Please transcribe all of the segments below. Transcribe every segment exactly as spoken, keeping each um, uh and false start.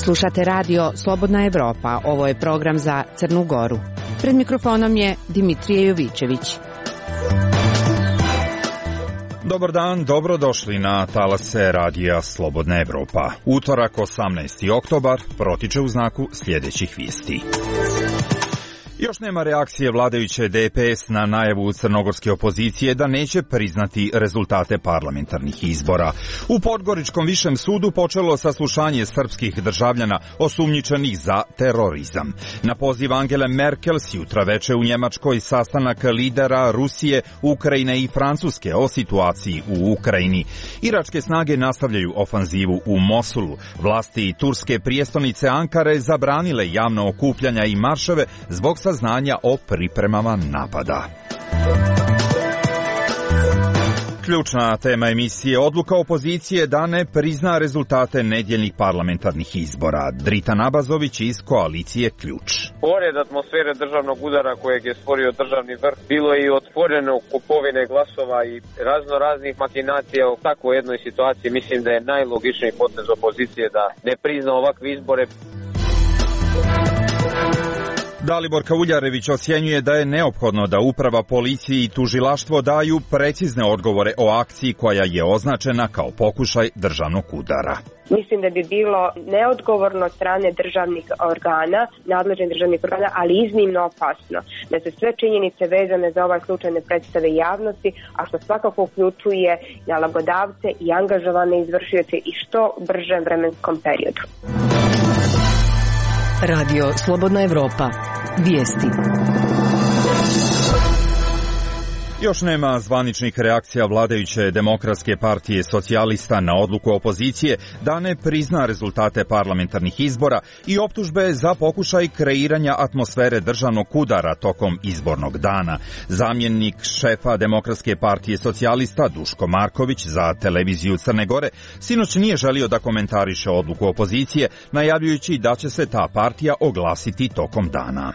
Slušate radio Slobodna Evropa. Ovo je program za Crnu Goru. Pred mikrofonom je Dimitrije Jovićević. Dobar dan, dobrodošli na talase radija Slobodna Evropa. Utorak, osamnaesti oktobar, protiče u znaku sljedećih vijesti. Još nema reakcije vladajuće D P S na najavu crnogorske opozicije da neće priznati rezultate parlamentarnih izbora. U Podgoričkom višem sudu počelo saslušanje srpskih državljana osumnjičenih za terorizam. Na poziv Angele Merkel s jutra veče u Njemačkoj sastanak lidera Rusije, Ukrajine i Francuske o situaciji u Ukrajini. Iračke snage nastavljaju ofanzivu u Mosulu. Vlasti turske prijestolnice Ankare zabranile javno okupljanja i marševe zbog saznanja o pripremama napada. Ključna tema emisije: odluka opozicije da ne prizna rezultate nedjeljnih parlamentarnih izbora. Drita Nabazović iz koalicije Ključ. Pored atmosfere državnog udara kojeg je stvorio državni vrh, bilo je i otvoreno kupovine glasova i razno raznih makinacija. U takvoj jednoj situaciji mislim da je najlogičniji potez opozicije da ne prizna ovakve izbore. Dalibor Kauljarević ocjenjuje da je neophodno da uprava, policije i tužilaštvo daju precizne odgovore o akciji koja je označena kao pokušaj državnog udara. Mislim da bi bilo neodgovorno od strane državnih organa, nadležnih državnih organa, ali iznimno opasno, da se sve činjenice vezane za ovaj slučaj ne predstave javnosti, a što svakako uključuje nalogodavce i angažovane izvršioce i što bržem vremenskom periodu. Radio Slobodna Evropa. Vijesti. Još nema zvaničnih reakcija vladajuće Demokratske partije socijalista na odluku opozicije da ne prizna rezultate parlamentarnih izbora i optužbe za pokušaj kreiranja atmosfere državnog udara tokom izbornog dana. Zamjenik šefa Demokratske partije socijalista Duško Marković za televiziju Crne Gore sinoć nije želio da komentariše odluku opozicije, najavljujući da će se ta partija oglasiti tokom dana.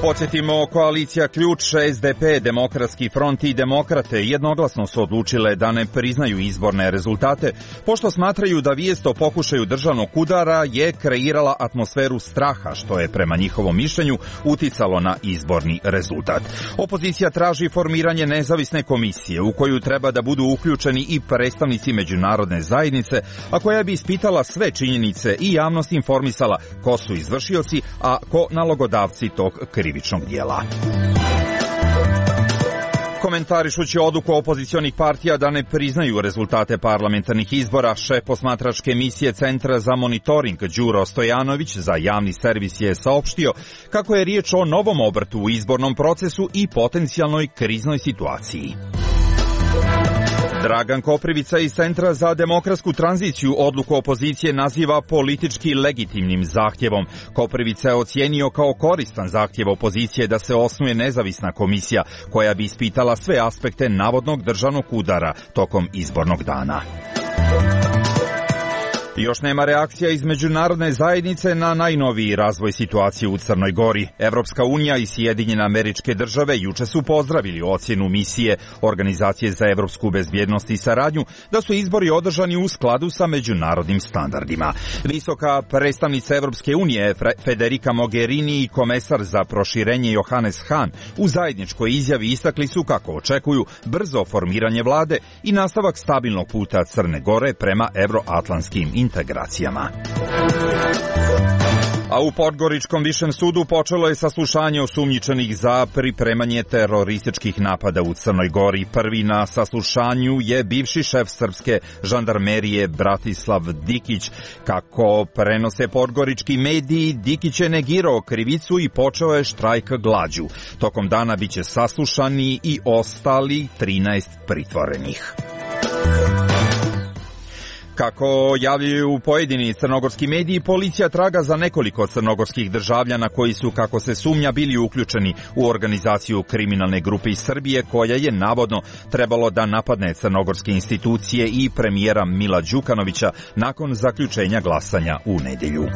Podsjetimo, koalicija Ključ, S D P, Demokratski front i Demokrate jednoglasno su odlučile da ne priznaju izborne rezultate, pošto smatraju da vijest o pokušaju državnog udara je kreirala atmosferu straha, što je prema njihovom mišljenju uticalo na izborni rezultat. Opozicija traži formiranje nezavisne komisije u koju treba da budu uključeni i predstavnici međunarodne zajednice, a koja bi ispitala sve činjenice i javnost informisala ko su izvršioci, a ko nalogodavci tog krivičnog krivičnog dijela. Komentarišući odluku opozicionih partija da ne priznaju rezultate parlamentarnih izbora, šef posmatračke misije Centra za monitoring Đuro Stojanović za javni servis je saopštio kako je riječ o novom obrtu u izbornom procesu i potencijalnoj kriznoj situaciji. Dragan Koprivica iz Centra za demokratsku tranziciju odluku opozicije naziva politički legitimnim zahtjevom. Koprivica je ocijenio kao koristan zahtjev opozicije da se osnuje nezavisna komisija koja bi ispitala sve aspekte navodnog državnog udara tokom izbornog dana. Još nema reakcija iz međunarodne zajednice na najnoviji razvoj situacije u Crnoj Gori. Evropska unija i Sjedinjene Američke Države juče su pozdravili ocjenu misije Organizacije za evropsku bezbjednost i saradnju da su izbori održani u skladu sa međunarodnim standardima. Visoka predstavnica Evropske unije Federica Mogherini i komesar za proširenje Johannes Hahn u zajedničkoj izjavi istakli su kako očekuju brzo formiranje vlade i nastavak stabilnog puta Crne Gore prema evroatlantskim integracijama. integracijama. A u Podgoričkom višem sudu počelo je saslušanje osumnjičenih za pripremanje terorističkih napada u Crnoj Gori. Prvi na saslušanju je bivši šef srpske žandarmerije Bratislav Dikić. Kako prenose podgorički mediji, Dikić je negirao krivicu i počeo je štrajk glađu. Tokom dana biće saslušani i ostali trinaest pritvorenih. Kako javljaju pojedini crnogorski mediji, policija traga za nekoliko crnogorskih državljana koji su, kako se sumnja, bili uključeni u organizaciju kriminalne grupe iz Srbije koja je navodno trebalo da napadne crnogorske institucije i premijera Mila Đukanovića nakon zaključenja glasanja u nedjelju.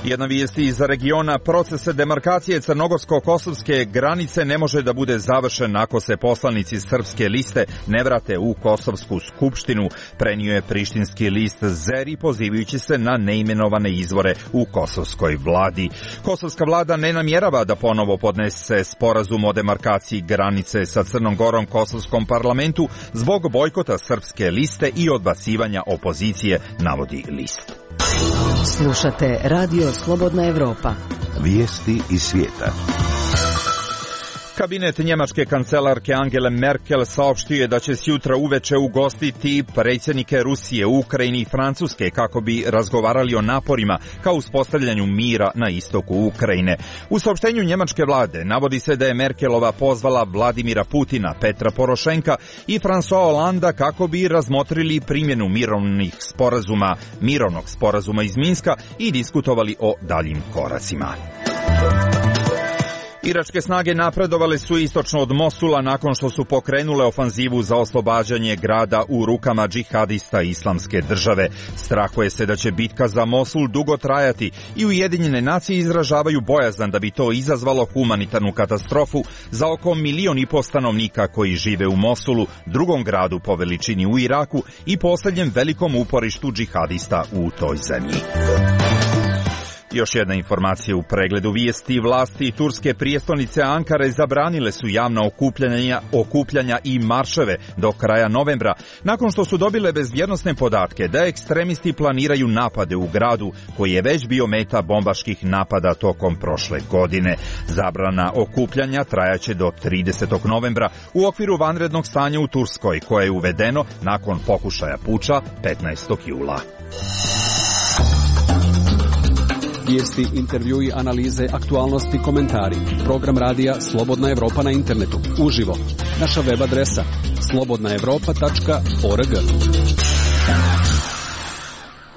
Jedna vijest iz regiona: proces demarkacije crnogorsko-kosovske granice ne može da bude završen ako se poslanici Srpske liste ne vrate u Kosovsku skupštinu, prenio je prištinski list Zeri pozivajući se na neimenovane izvore u kosovskoj vladi. Kosovska vlada ne namjerava da ponovo podnese sporazum o demarkaciji granice sa Crnom Gorom kosovskom parlamentu zbog bojkota Srpske liste i odbacivanja opozicije, navodi list. Slušate Radio Slobodna Evropa. Vijesti iz svijeta. Kabinet njemačke kancelarke Angele Merkel saopštio je da će sjutra uveče ugostiti predsjednike Rusije, Ukrajine i Francuske kako bi razgovarali o naporima ka uspostavljanju mira na istoku Ukrajine. U saopštenju njemačke vlade navodi se da je Merkelova pozvala Vladimira Putina, Petra Porošenka i François Hollanda kako bi razmotrili primjenu mirovnih sporazuma, mirovnog sporazuma iz Minska i diskutovali o daljim koracima. Iračke snage napredovale su istočno od Mosula nakon što su pokrenule ofanzivu za oslobađanje grada u rukama džihadista Islamske države. Strahuje se da će bitka za Mosul dugo trajati i Ujedinjene nacije izražavaju bojazan da bi to izazvalo humanitarnu katastrofu za oko milion i po stanovnika koji žive u Mosulu, drugom gradu po veličini u Iraku i posljednjem velikom uporištu džihadista u toj zemlji. Još jedna informacija u pregledu vijesti: vlasti turske prijestolnice Ankare zabranile su javna okupljanja, okupljanja i marševe do kraja novembra, nakon što su dobile bezbjednosne podatke da ekstremisti planiraju napade u gradu koji je već bio meta bombaških napada tokom prošle godine. Zabrana okupljanja trajaće do tridesetog novembra u okviru vanrednog stanja u Turskoj, koje je uvedeno nakon pokušaja puča petnaestog jula. Vijesti, intervjui, analize, aktualnosti, komentari. Program radija Slobodna Evropa na internetu. Uživo. Naša web adresa slobodna evropa tačka org.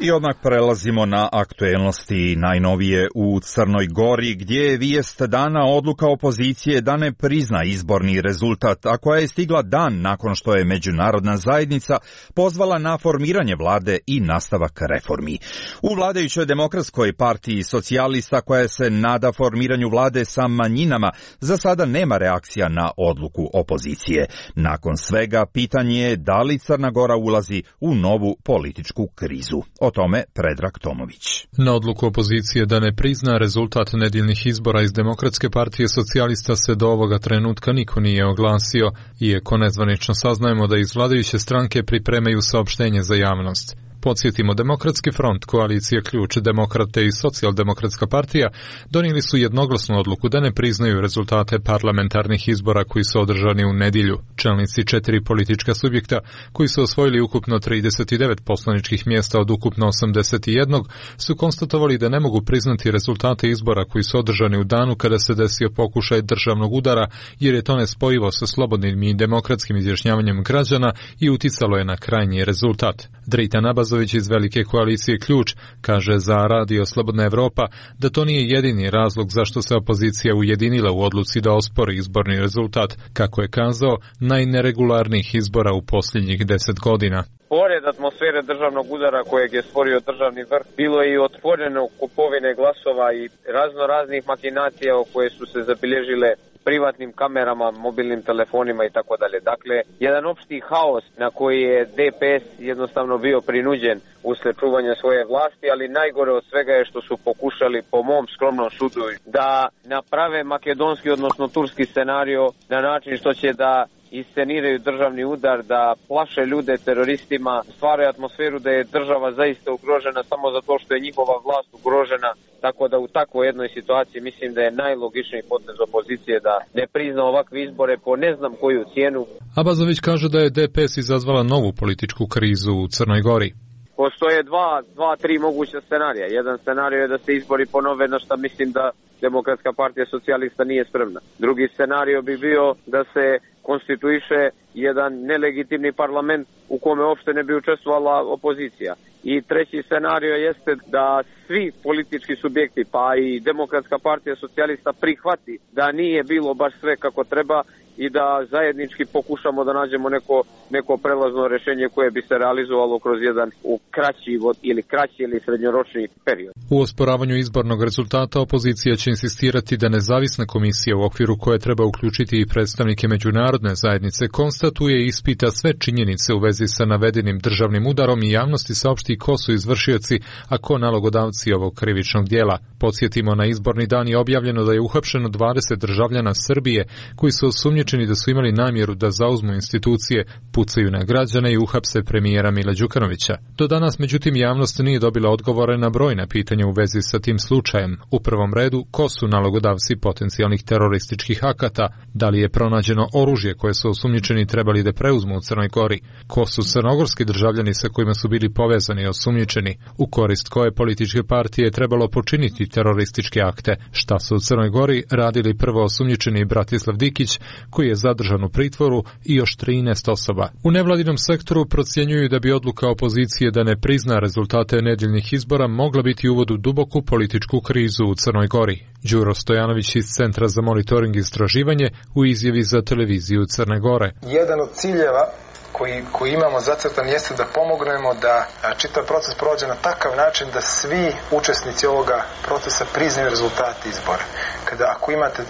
I odmah prelazimo na aktuelnosti najnovije u Crnoj Gori, gdje je vijest dana odluka opozicije da ne prizna izborni rezultat, a koja je stigla dan nakon što je međunarodna zajednica pozvala na formiranje vlade i nastavak reformi. U vladajućoj Demokratskoj partiji socijalista, koja se nada formiranju vlade sa manjinama, za sada nema reakcija na odluku opozicije. Nakon svega, pitanje je da li Crna Gora ulazi u novu političku krizu. O tome Predrag Tomović. Na odluku opozicije da ne prizna rezultat nedjeljnih izbora iz Demokratske partije socijalista se do ovoga trenutka niko nije oglasio, iako nezvanično saznajemo da iz vladajuće stranke pripremaju saopštenje za javnost. Podsjetimo, Demokratski front, koalicija Ključ, Demokrate i Socijaldemokratska partija donijeli su jednoglasnu odluku da ne priznaju rezultate parlamentarnih izbora koji su održani u nedjelju. Čelnici četiri politička subjekta, koji su osvojili ukupno trideset devet poslaničkih mjesta od ukupno osamdeset jedan, su konstatovali da ne mogu priznati rezultate izbora koji su održani u danu kada se desio pokušaj državnog udara, jer je to nespojivo sa slobodnim i demokratskim izjašnjavanjem građana i uticalo je na krajnji rezultat. Dritan Abazović iz velike koalicije Ključ kaže za Radio Slobodna Evropa da to nije jedini razlog zašto se opozicija ujedinila u odluci da ospori izborni rezultat, kako je kazao, najneregularnijih izbora u posljednjih deset godina. Pored atmosfere državnog udara kojeg je stvorio državni vrh, bilo je i otvoreno kupovine glasova i razno raznih makinacija koje su se zabilježile privatnim kamerama, mobilnim telefonima i tako dalje. Dakle, jedan opšti haos na koji je D P S jednostavno bio prinuđen usled čuvanja svoje vlasti, ali najgore od svega je što su pokušali, po mom skromnom sudu, da naprave makedonski, odnosno turski scenario na način što će da isceniraju državni udar, da plaše ljude teroristima, stvaraju atmosferu da je država zaista ugrožena samo zato što je njihova vlast ugrožena, tako da u takvoj jednoj situaciji mislim da je najlogičniji potez opozicije da ne prizna ovakve izbore po ne znam koju cijenu. Abazović kaže da je D P S izazvala novu političku krizu u Crnoj Gori. Postoje dva, dva, tri moguća scenarija. Jedan scenarij je da se izbori ponove, na što mislim da Demokratska partija socijalista nije spremna. Drugi scenarij bi bio da se konstituiše jedan nelegitimni parlament u kome uopšte ne bi učestvovala opozicija. I treći scenario jeste da svi politički subjekti, pa i Demokratska partija socijalista, prihvati da nije bilo baš sve kako treba i da zajednički pokušamo da nađemo neko, neko prelazno rešenje koje bi se realizovalo kroz jedan u kraći ili kraći ili srednjoročni period. U osporavanju izbornog rezultata opozicija će insistirati da nezavisna komisija u okviru koje treba uključiti i predstavnike međunarodne zajednice konstatuje i ispita sve činjenice u vezi sa navedenim državnim udarom i javnosti saopšti ko su izvršioci, a ko nalogodavci ovog krivičnog dijela. Podsjetimo, na izborni dan je objavljeno da je uhapšeno dvadeset državljana Srbije koji su osumnjičeni da su imali namjeru da zauzmu institucije, pucaju na građane i uhapse premijera Mila Đukanovića. Do danas, međutim, javnost nije dobila odgovore na brojna pitanja u vezi sa tim slučajem. U prvom redu, ko su nalogodavci potencijalnih terorističkih akata, da li je pronađeno oružje koje su osumnjičeni trebali da preuzmu u Crnoj Gori, ko su crnogorski državljani sa kojima su bili povezani i osumnjičeni, u korist koje političke partije je trebalo počiniti terorističke akte, šta su u Crnoj Gori radili prvo osumnjičeni Bratislav Dikić, koji je zadržan u pritvoru, i još trinaest osoba. U nevladinom sektoru procjenjuju da bi odluka opozicije da ne prizna rezultate nedeljnih izbora mogla biti uvod u duboku političku krizu u Crnoj Gori. Đuro Stojanović iz Centra za monitoring i istraživanje u izjavi za televiziju Crne Gore. Jedan od ciljeva koji, koji imamo zacrtan jeste da pomognemo da čitav proces prođe na takav način da svi učesnici ovoga procesa priznaju rezultate izbora. Kada ako imate,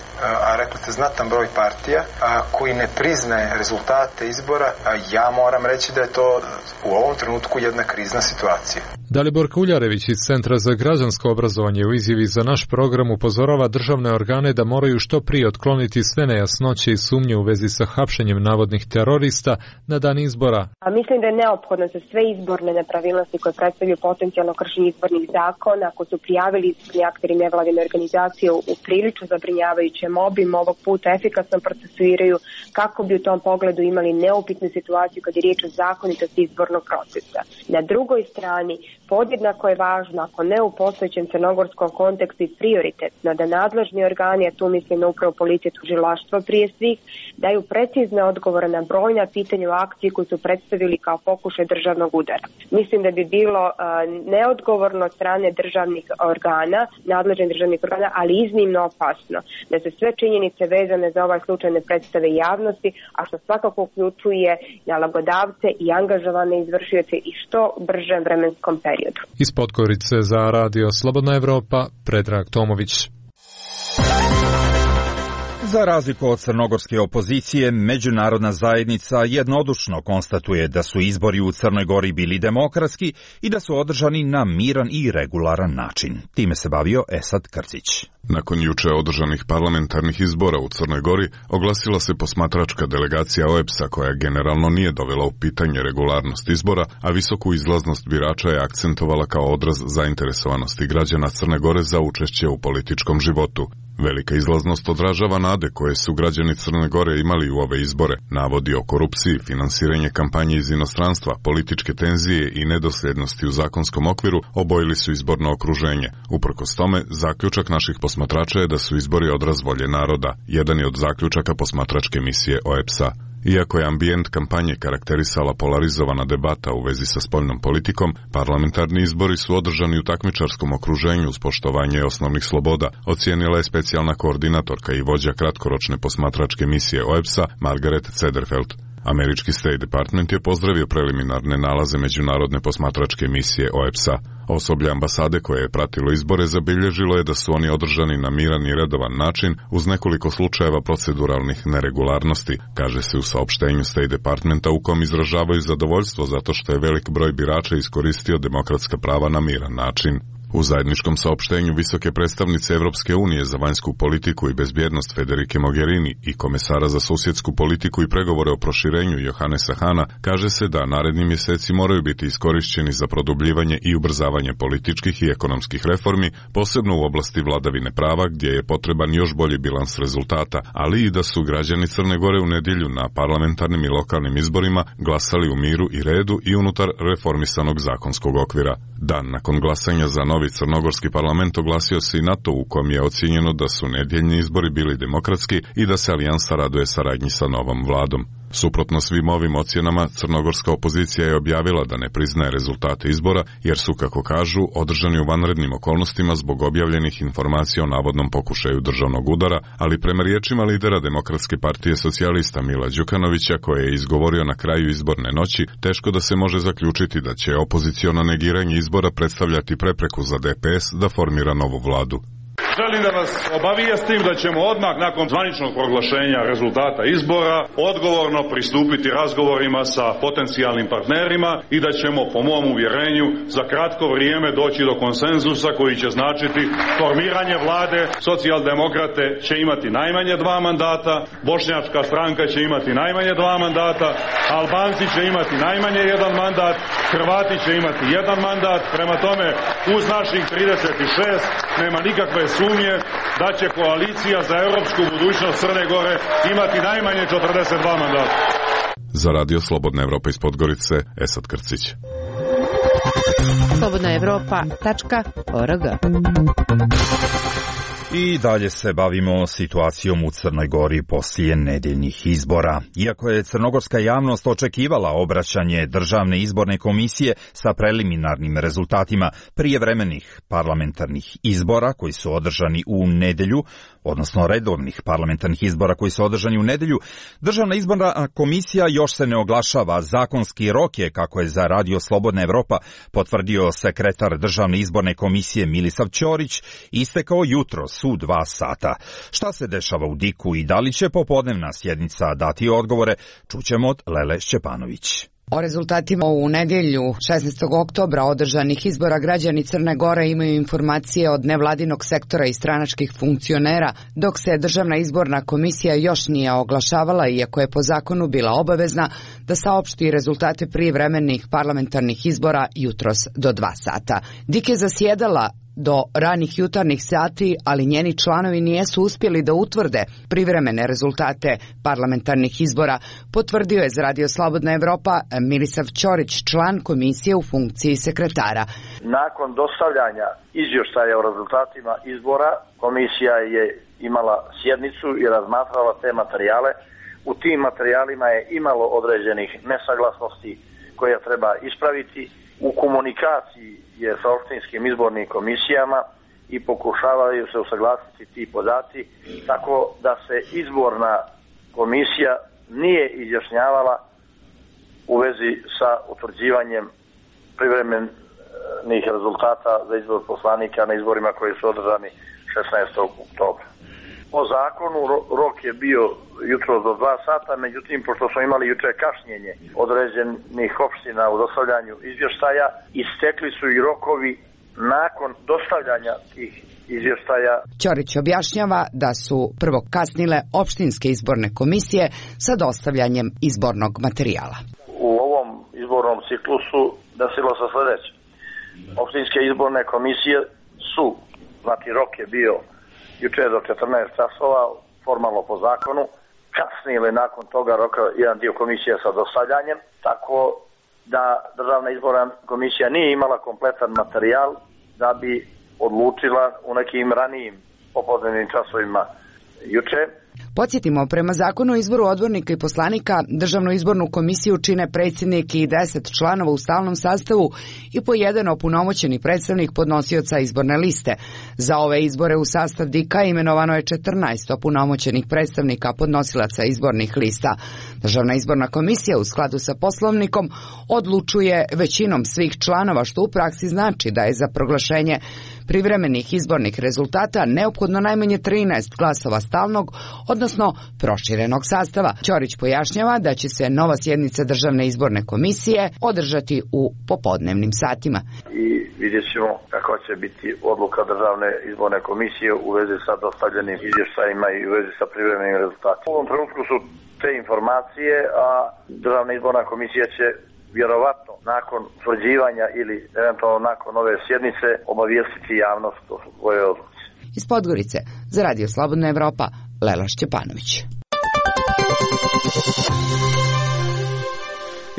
a rekli ste, znatan broj partija a, koji ne priznaje rezultate izbora, a ja moram reći da je to u ovom trenutku jedna krizna situacija. Dalibor Kuljarević iz Centra za građansko obrazovanje u izjavi za naš program upozorava državne organe da moraju što prije otkloniti sve nejasnoće i sumnje u vezi sa hapšenjem navodnih terorista na dan izbora. A mislim da je neophodno za sve izborne nepravilnosti koje predstavljaju potencijalno kršenje izbornih zakona, ako su prijavili izborni akteri nevladine organizacije u prilično zabrinjavajućem obimu, ovog puta efikasno procesuiraju kako bi u tom pogledu imali neupitnu situaciju kad je riječ o zakonitosti izbornog procesa. Na drugoj strani, podjednako je važno, ako ne u postojećem crnogorskom kontekstu i prioritetno, da nadležni organi, a tu mislim na upravo policiju, tužilaštvo prije svih, daju precizne odgovore na brojna pitanja o akciji koju su predstavili kao pokušaj državnog udara. Mislim da bi bilo uh, neodgovorno od strane državnih organa, nadležnih državnih organa, ali iznimno opasno, da se sve činjenice vezane za ovaj slučaj ne predstave javnosti, a što svakako uključuje nalogodavce i angažovane izvršioce i što bržem vremenskom periodu. Iz Podgorice za Radio Slobodna Evropa, Predrag Tomović. Za razliku od crnogorske opozicije, međunarodna zajednica jednodušno konstatuje da su izbori u Crnoj Gori bili demokratski i da su održani na miran i regularan način. Time se bavio Esad Krcić. Nakon juče održanih parlamentarnih izbora u Crnoj Gori, oglasila se posmatračka delegacija O E B S A koja generalno nije dovela u pitanje regularnost izbora, a visoku izlaznost birača je akcentovala kao odraz zainteresovanosti građana Crne Gore za učešće u političkom životu. Velika izlaznost odražava nade koje su građani Crne Gore imali u ove izbore, navodi o korupciji, finansiranje kampanje iz inostranstva, političke tenzije i nedosljednosti u zakonskom okviru obojili su izborno okruženje. Uprkos tome, zaključak naših posmatrača je da su izbori odraz volje naroda, jedan je od zaključaka posmatračke misije O E B S A. Iako je ambijent kampanje karakterisala polarizovana debata u vezi sa spoljnom politikom, parlamentarni izbori su održani u takmičarskom okruženju uz poštovanje osnovnih sloboda, ocijenila je specijalna koordinatorka i vođa kratkoročne posmatračke misije O E B S A Margaret Cederfeld. Američki State Department je pozdravio preliminarne nalaze međunarodne posmatračke misije O E B S A. Osoblje ambasade koje je pratilo izbore zabilježilo je da su oni održani na miran i redovan način uz nekoliko slučajeva proceduralnih neregularnosti, kaže se u saopštenju State Departmenta u kom izražavaju zadovoljstvo zato što je velik broj birača iskoristio demokratska prava na miran način. U zajedničkom saopštenju visoke predstavnice Evropske unije za vanjsku politiku i bezbjednost Federike Mogherini i komesara za susjedsku politiku i pregovore o proširenju Johannesa Hana kaže se da naredni mjeseci moraju biti iskorišćeni za produbljivanje i ubrzavanje političkih i ekonomskih reformi, posebno u oblasti vladavine prava gdje je potreban još bolji bilans rezultata, ali i da su građani Crne Gore u nedjelju na parlamentarnim i lokalnim izborima glasali u miru i redu i unutar reformisanog zakonskog okvira. Dan nakon glasanja za novi crnogorski parlament oglasio se i NATO u kom je ocijenjeno da su nedjeljni izbori bili demokratski i da se alijansa raduje saradnji sa novom vladom. Suprotno svim ovim ocjenama, crnogorska opozicija je objavila da ne priznaje rezultate izbora, jer su, kako kažu, održani u vanrednim okolnostima zbog objavljenih informacija o navodnom pokušaju državnog udara, ali prema riječima lidera Demokratske partije socijalista Mila Đukanovića, koje je izgovorio na kraju izborne noći, teško da se može zaključiti da će opoziciono negiranje izbora predstavljati prepreku za D P S da formira novu vladu. Želim da vas obavijestim da ćemo odmah nakon zvaničnog proglašenja rezultata izbora odgovorno pristupiti razgovorima sa potencijalnim partnerima i da ćemo, po mom uvjerenju, za kratko vrijeme doći do konsenzusa koji će značiti formiranje vlade. Socijaldemokrate će imati najmanje dva mandata, Bošnjačka stranka će imati najmanje dva mandata, Albanci će imati najmanje jedan mandat, Hrvati će imati jedan mandat. Prema tome, uz naših trideset šest nema nikakve sumnje da će koalicija za europsku budućnost Crne Gore imati najmanje četrdeset dva mandata. Za Radio Slobodna Evropa iz Podgorice, Esad Krcić. slobodna evropa tačka org. I dalje se bavimo situacijom u Crnoj Gori poslije nedeljnih izbora. Iako je crnogorska javnost očekivala obraćanje Državne izborne komisije sa preliminarnim rezultatima prijevremenih parlamentarnih izbora koji su održani u nedelju, odnosno redovnih parlamentarnih izbora koji su održani u nedelju, Državna izborna komisija još se ne oglašava. Zakonski rok je, kako je za Radio Slobodna Evropa potvrdio sekretar Državne izborne komisije Milisav Ćorić, istekao jutros u dva sata. Šta se dešava u Diku i da li će popodnevna sjednica dati odgovore, čućemo od Lele Šćepanović. O rezultatima u nedjelju šesnaestog oktobra održanih izbora građani Crne Gore imaju informacije od nevladinog sektora i stranačkih funkcionera, dok se Državna izborna komisija još nije oglašavala, iako je po zakonu bila obavezna da saopšti rezultate prijevremenih parlamentarnih izbora jutros do dva sata. Dik je zasjedala do ranih jutarnjih sati, ali njeni članovi nijesu uspjeli da utvrde privremene rezultate parlamentarnih izbora, potvrdio je za Radio Slobodna Evropa Milisav Ćorić, član komisije u funkciji sekretara. Nakon dostavljanja izvještaja o rezultatima izbora, komisija je imala sjednicu i razmatrala te materijale. U tim materijalima je imalo određenih nesaglasnosti koje treba ispraviti. U komunikaciji je sa opštinskim izbornim komisijama i pokušavaju se usaglasiti ti podaci, tako da se izborna komisija nije izjašnjavala u vezi sa utvrđivanjem privremenih rezultata za izbor poslanika na izborima koji su održani šesnaestog oktobra. Po zakonu rok je bio jutro do dva sata, međutim, pošto smo imali juče kašnjenje određenih opština u dostavljanju izvještaja, istekli su i rokovi nakon dostavljanja tih izvještaja. Ćorić objašnjava da su prvo kasnile opštinske izborne komisije sa dostavljanjem izbornog materijala. U ovom izbornom ciklusu desilo se sljedeće. Opštinske izborne komisije su, znači rok je bio juče do četrnaest časova, formalno po zakonu, kasnili nakon toga roka jedan dio komisije sa dostavljanjem, tako da Državna izborna komisija nije imala kompletan materijal da bi odlučila u nekim ranijim popodnevnim časovima juče. Podsjetimo, prema zakonu o izboru odbornika i poslanika, Državnu izbornu komisiju čine predsjednik i deset članova u stalnom sastavu i po jedan opunomoćeni predstavnik podnosioca izborne liste. Za ove izbore u sastav Dika imenovano je četrnaest opunomoćenih predstavnika podnosilaca izbornih lista. Državna izborna komisija u skladu sa poslovnikom odlučuje većinom svih članova, što u praksi znači da je za proglašenje privremenih izbornih rezultata neophodno najmanje trinaest glasova stalnog, odnosno proširenog sastava. Ćorić pojašnjava da će se nova sjednica Državne izborne komisije održati u popodnevnim satima. I vidjet ćemo kako će biti odluka Državne izborne komisije u vezi sa dostavljenim izvještajima i u vezi sa privremenim rezultatima. U ovom trenutku su te informacije, a Državna izborna komisija će vjerovatno nakon utvrđivanja ili eventualno nakon ove sjednice obavijestiti javnost o svojoj odluci. Iz Podgorice za Radio Slobodna Evropa, Lela Šćepanović.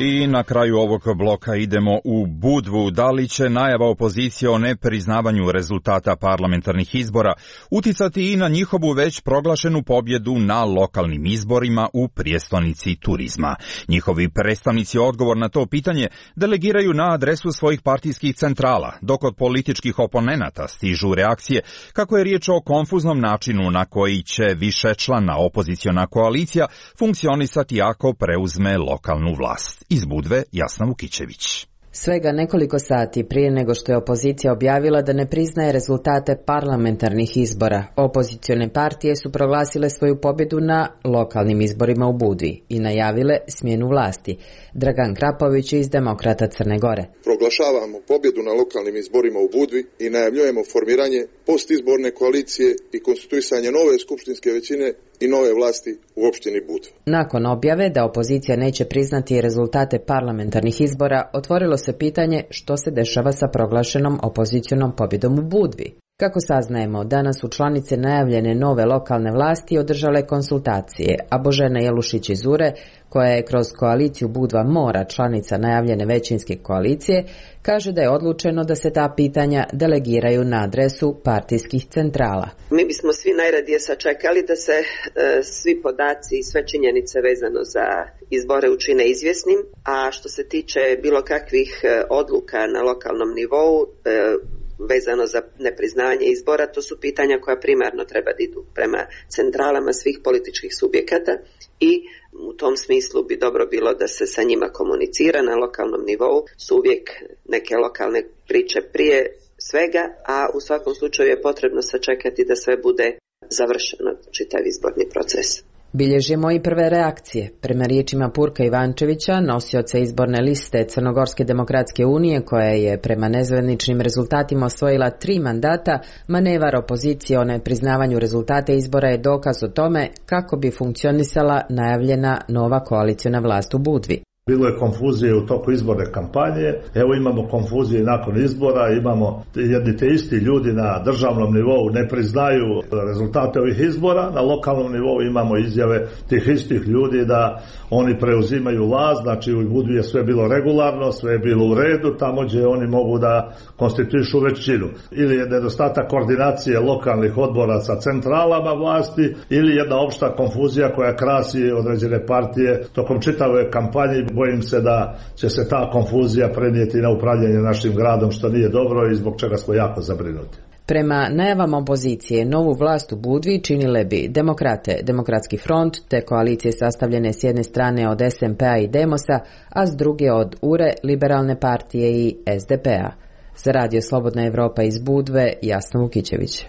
I na kraju ovog bloka idemo u Budvu. Da li će najava opozicije o nepriznavanju rezultata parlamentarnih izbora uticati i na njihovu već proglašenu pobjedu na lokalnim izborima u prijestolnici turizma? Njihovi predstavnici odgovor na to pitanje delegiraju na adresu svojih partijskih centrala, dok od političkih oponenata stižu reakcije kako je riječ o konfuznom načinu na koji će višečlana opoziciona koalicija funkcionisati ako preuzme lokalnu vlast. Iz Budve, Jasna Vukićević. Svega nekoliko sati prije nego što je opozicija objavila da ne priznaje rezultate parlamentarnih izbora, opozicione partije su proglasile svoju pobjedu na lokalnim izborima u Budvi i najavile smjenu vlasti. Dragan Krapović iz Demokrata Crne Gore. Proglašavamo pobjedu na lokalnim izborima u Budvi i najavljujemo formiranje postizborne koalicije i konstituisanje nove skupštinske većine i nove vlasti u opštini Budva. Nakon objave da opozicija neće priznati rezultate parlamentarnih izbora, otvorilo se pitanje što se dešava sa proglašenom opozicionom pobjedom u Budvi. Kako saznajemo, danas su članice najavljene nove lokalne vlasti održale konsultacije, a Božena Jelušić iz Ure, koja je kroz koaliciju Budva Mora članica najavljene većinske koalicije, kaže da je odlučeno da se ta pitanja delegiraju na adresu partijskih centrala. Mi bismo svi najradije sačekali da se e, svi podaci i sve činjenice vezano za izbore učine izvjesnim, a što se tiče bilo kakvih e, odluka na lokalnom nivou, e, vezano za nepriznavanje izbora, to su pitanja koja primarno treba da idu prema centralama svih političkih subjekata i u tom smislu bi dobro bilo da se sa njima komunicira na lokalnom nivou. Su uvijek neke lokalne priče prije svega, a u svakom slučaju je potrebno sačekati da sve bude završeno, čitav izborni proces. Bilježimo i prve reakcije. Prema riječima Purka Ivančevića, nosioca izborne liste Crnogorske demokratske unije, koja je prema nezvaničnim rezultatima osvojila tri mandata, manevar opozicije o nepriznavanju rezultate izbora je dokaz o tome kako bi funkcionisala najavljena nova koaliciona vlast u Budvi. Bilo je konfuzije u toku izborne kampanje, evo imamo konfuzije nakon izbora, imamo jedni te isti ljudi na državnom nivou ne priznaju rezultate ovih izbora, na lokalnom nivou imamo izjave tih istih ljudi da oni preuzimaju vlast, znači u Budvi je sve bilo regularno, sve je bilo u redu, tamo gdje oni mogu da konstituišu većinu. Ili je nedostatak koordinacije lokalnih odbora sa centralama vlasti, ili jedna opšta konfuzija koja krasi određene partije tokom čitave kampanje. Bojim se da će se ta konfuzija prenijeti na upravljanje našim gradom, što nije dobro i zbog čega smo jako zabrinuti. Prema najavama opozicije, novu vlast u Budvi činile bi Demokrate, Demokratski front, te koalicije sastavljene s jedne strane od es em pe a i Demosa, a s druge od Ure, Liberalne partije i es de pe a. Za Radio Slobodna Evropa iz Budve, Jasna Vukićević.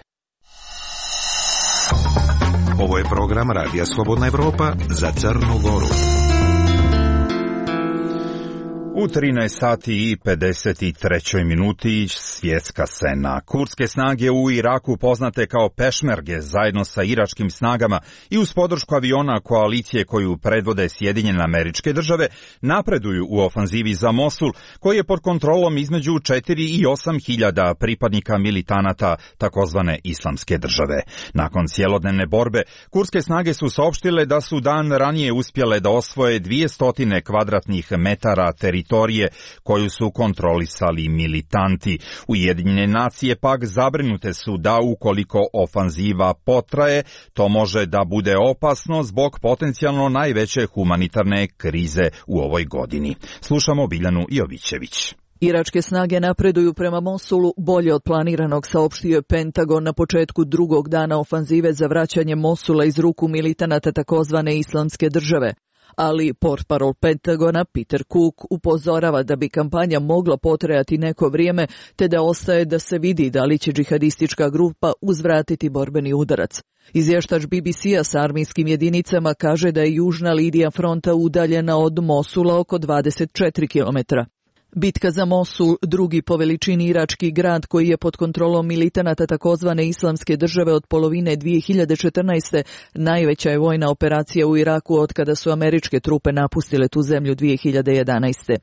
Ovo je program Radija Slobodna Evropa za Crnu Goru. U trinaest sati i pedeset trećoj minuti svjetska scena. Kurdske snage u Iraku, poznate kao pešmerge, zajedno sa iračkim snagama i uz podršku aviona koalicije koju predvode Sjedinjene Američke Države, napreduju u ofanzivi za Mosul, koji je pod kontrolom između četiri i osam hiljada pripadnika militanata takozvane Islamske države. Nakon cjelodnevne borbe, kurdske snage su saopštile da su dan ranije uspjele da osvoje dvjesto kvadratnih metara teritorija koju su kontrolisali militanti. Ujedinjene nacije pak zabrinute su da ukoliko ofanziva potraje, to može da bude opasno zbog potencijalno najveće humanitarne krize u ovoj godini. Slušamo Biljanu Jovićević. Iračke snage napreduju prema Mosulu bolje od planiranog, saopštio je Pentagon na početku drugog dana ofanzive za vraćanje Mosula iz ruku militanata takozvane Islamske države. Ali portparol Pentagona Peter Cook upozorava da bi kampanja mogla potrajati neko vrijeme, te da ostaje da se vidi da li će džihadistička grupa uzvratiti borbeni udarac. Izvještač be be ce-a sa armijskim jedinicama kaže da je južna linija fronta udaljena od Mosula oko dvadeset četiri kilometra. Bitka za Mosul, drugi po veličini irački grad koji je pod kontrolom militanata takozvane Islamske države od polovine dvije hiljade četrnaeste. najveća je vojna operacija u Iraku od kada su američke trupe napustile tu zemlju dvije hiljade jedanaeste.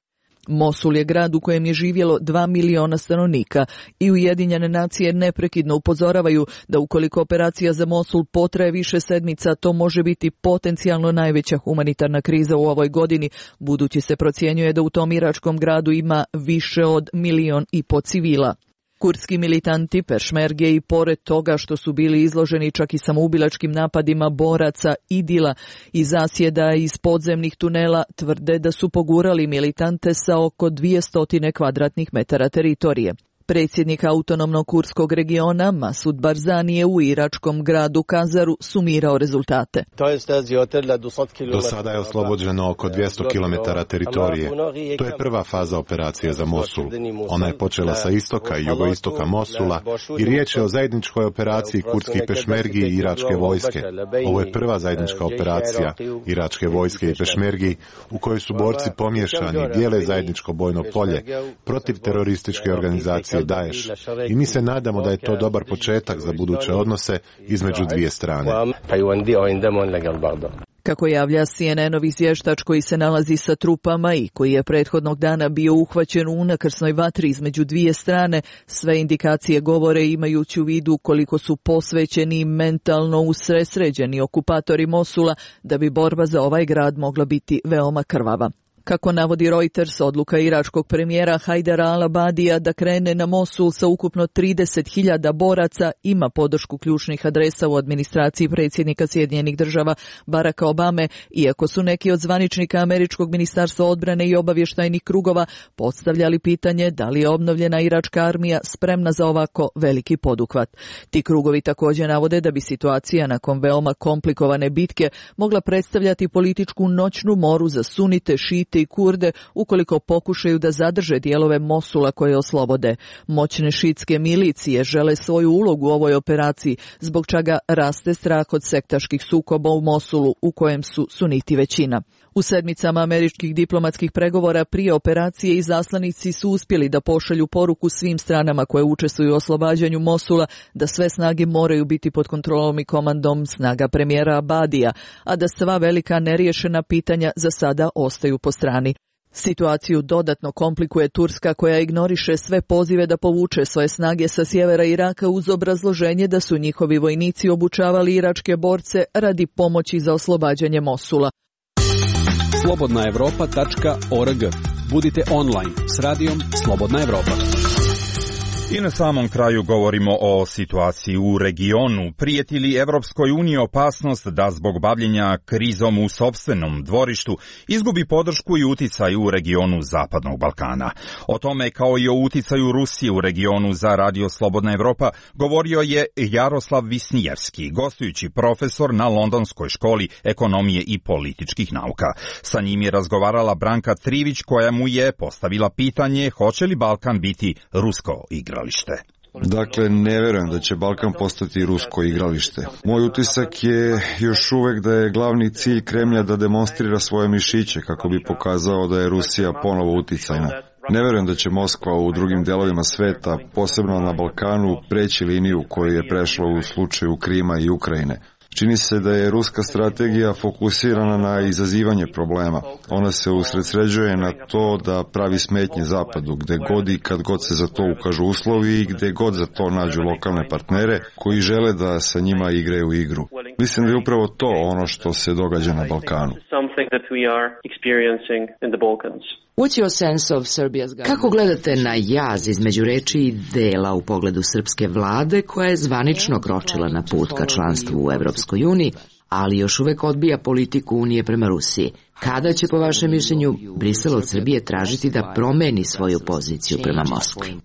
Mosul je grad u kojem je živjelo dva miliona stanovnika i Ujedinjene nacije neprekidno upozoravaju da ukoliko operacija za Mosul potraje više sedmica, to može biti potencijalno najveća humanitarna kriza u ovoj godini, budući se procjenjuje da u tom iračkom gradu ima više od milion i po civila. Kurdski militanti Pešmerge i pored toga što su bili izloženi čak i samoubilačkim napadima boraca Idila i zasjeda iz podzemnih tunela, tvrde da su pogurali militante sa oko dvjesto kvadratnih metara teritorije. Predsjednik autonomnog kurskog regiona Masud Barzani je u iračkom gradu Kazaru sumirao rezultate. Do sada je oslobođeno oko dvjesto kilometara teritorije. To je prva faza operacije za Mosul. Ona je počela sa istoka i jugoistoka Mosula i riječ je o zajedničkoj operaciji kurdskih pešmergi i iračke vojske. Ovo je prva zajednička operacija iračke vojske i pešmergi u kojoj su borci pomiješani i dijele zajedničko bojno polje protiv terorističke organizacije Daesh. I mi se nadamo da je to dobar početak za buduće odnose između dvije strane. Kako javlja C N N-ov izvještač koji se nalazi sa trupama i koji je prethodnog dana bio uhvaćen u unakrsnoj vatri između dvije strane, sve indikacije govore imajući u vidu koliko su posvećeni mentalno usresređeni okupatori Mosula da bi borba za ovaj grad mogla biti veoma krvava. Kako navodi Reuters, odluka iračkog premijera Hajdara al-Abadija da krene na Mosul sa ukupno trideset hiljada boraca ima podršku ključnih adresa u administraciji predsjednika Sjedinjenih država Baracka Obame, iako su neki od zvaničnika američkog ministarstva odbrane i obavještajnih krugova postavljali pitanje da li je obnovljena iračka armija spremna za ovako veliki poduhvat. Ti krugovi također navode da bi situacija nakon veoma komplikovane bitke mogla predstavljati političku noćnu moru za sunite, šite i Kurde ukoliko pokušaju da zadrže dijelove Mosula koje oslobode. Moćne šitske milicije žele svoju ulogu u ovoj operaciji, zbog čega raste strah od sektaških sukoba u Mosulu u kojem su suniti većina. U sedmicama američkih diplomatskih pregovora prije operacije izaslanici su uspjeli da pošalju poruku svim stranama koje učestvuju u oslobađanju Mosula da sve snage moraju biti pod kontrolom i komandom snaga premijera Abadija, a da sva velika neriješena pitanja za sada ostaju po strani. Situaciju dodatno komplikuje Turska koja ignoriše sve pozive da povuče svoje snage sa sjevera Iraka uz obrazloženje da su njihovi vojnici obučavali iračke borce radi pomoći za oslobađanje Mosula. slobodna evropa tačka org. Budite online s radijom Slobodna Evropa. I na samom kraju govorimo o situaciji u regionu. Prijeti li Evropskoj uniji opasnost da zbog bavljenja krizom u sopstvenom dvorištu izgubi podršku i uticaj u regionu Zapadnog Balkana? O tome, kao i o uticaju Rusije u regionu, za Radio Slobodna Evropa govorio je Jaroslav Visnijevski, gostujući profesor na Londonskoj školi ekonomije i političkih nauka. Sa njim je razgovarala Branka Trivić, koja mu je postavila pitanje hoće li Balkan biti rusko igralište. Dakle, ne vjerujem da će Balkan postati rusko igralište. Moj utisak je još uvijek da je glavni cilj Kremlja da demonstrira svoje mišiće kako bi pokazao da je Rusija ponovo uticajna. Ne vjerujem da će Moskva u drugim delovima sveta, posebno na Balkanu, preći liniju koju je prešla u slučaju Krima i Ukrajine. Čini se da je ruska strategija fokusirana na izazivanje problema. Ona se usredsređuje na to da pravi smetnje Zapadu, gde god i kad god se za to ukažu uslovi i gde god za to nađu lokalne partnere koji žele da sa njima igraju igru. Mislim da je upravo to ono što se događa na Balkanu. Kako gledate na jaz između reči i dela u pogledu srpske vlade koja je zvanično kročila na put ka članstvu u Evropskoj uniji, ali još uvek odbija politiku Unije prema Rusiji? Kada će, po vašem mišljenju, Brisel od Srbije tražiti da promeni svoju poziciju prema Moskvi?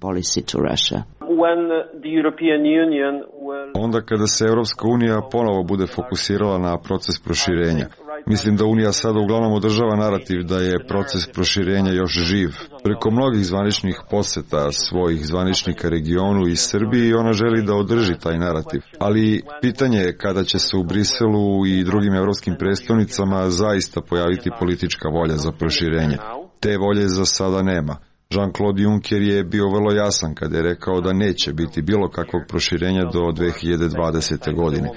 Onda kada se Evropska unija ponovo bude fokusirala na proces proširenja. Mislim da Unija sada uglavnom održava narativ da je proces proširenja još živ. Preko mnogih zvaničnih poseta svojih zvaničnika regionu i Srbiji ona želi da održi taj narativ. Ali pitanje je kada će se u Briselu i drugim evropskim prestolnicama zaista pojaviti politička volja za proširenje. Te volje za sada nema. Jean-Claude Juncker je bio vrlo jasan kada je rekao da neće biti bilo kakvog proširenja do dve hiljade dvadesete. godine.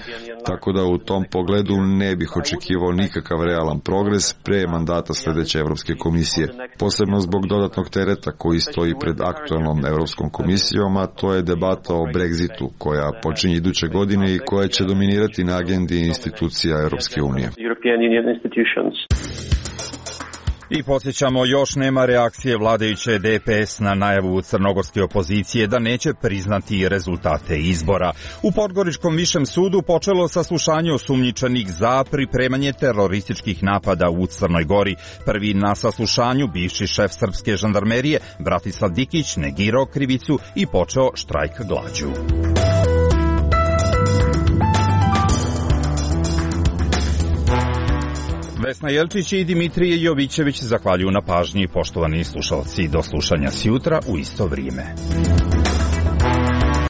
Tako da u tom pogledu ne bih očekivao nikakav realan progres pre mandata sljedeće Europske komisije. Posebno zbog dodatnog tereta koji stoji pred aktualnom Europskom komisijom, a to je debata o Brexitu koja počinje iduće godine i koja će dominirati na agendi institucija Europske unije. I podsjećamo, još nema reakcije vladajuće D P S na najavu crnogorske opozicije da neće priznati rezultate izbora. U Podgoričkom višem sudu počelo saslušanje osumnjičenih za pripremanje terorističkih napada u Crnoj Gori. Prvi na saslušanju, bivši šef srpske žandarmerije Bratislav Dikić, negirao krivicu i počeo štrajk glađu. Vesna Jelčić i Dimitrije Jovićević zahvaljuju na pažnji. Poštovani slušalci, do slušanja sjutra u isto vrijeme.